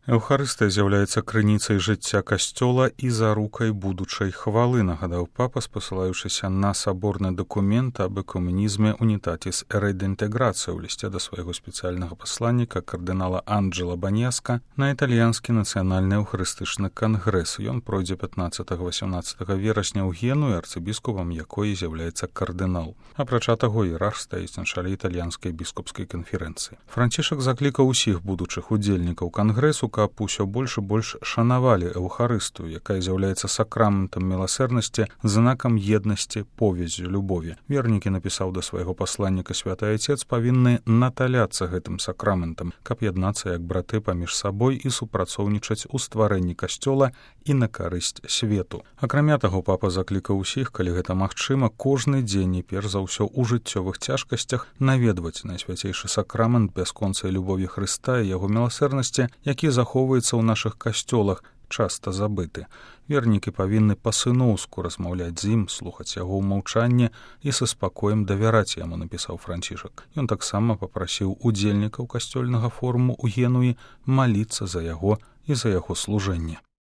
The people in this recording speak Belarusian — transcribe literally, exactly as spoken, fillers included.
Эўхарыстыя з'яўляецца крыніцай жыцця касцёла і зарукай будучай хвалы, нагадаў папа, спасылаючыся на саборны дакумент аб экумэнізме «Унітатіс рединтеграцыя» ў лісце да свайго спецыяльнага пасланніка кардынала Анджела Баньяска на італьянскі нацыянальны эўхарыстычны кангрэс. Ён пройдзе пятнаццатага-васямнаццатага верасня ў Генуі, арцыбіскупам якой з'яўляецца кардынал. Апрача таго, іерарх стаіць на чале італьянскай біскупскай канферэнцыі. Францішак заклікаў усіх будучых удзельнікаў кангрэсу, каб усё больш і больш шанавалі эўхарыстыю, якая з'яўляецца сакраментам міласэрнасці, знакам еднасці, повяззю любові. Вернікі, напісаў да свайго пасланніка святы айцец, павінны наталяцца гэтым сакраментам, каб яднацца як браты паміж сабой і супрацоўнічаць у стварэнні касцёла і на карысць свету. Акрамя таго, папа заклікаў усіх, калі гэта магчыма, кожны дзень і перш за ўсё ў жыццёвых цяжкасцях наведваць найсвяцейшы сакрамент бясконцай любові Хрыста і яго міласэрнасці, які захоўваецца захоўваецца ў нашых касцёлах, часта забыты. Вернікі павінны па-сыноўску размаўляць з ім, слухаць яго ў маўчанні і са спакоем давяраць яму, напісаў Францішак. Ён таксама папрасіў удзельнікаў касцёльнага форуму ў Генуі маліцца за яго і за яго служэнне.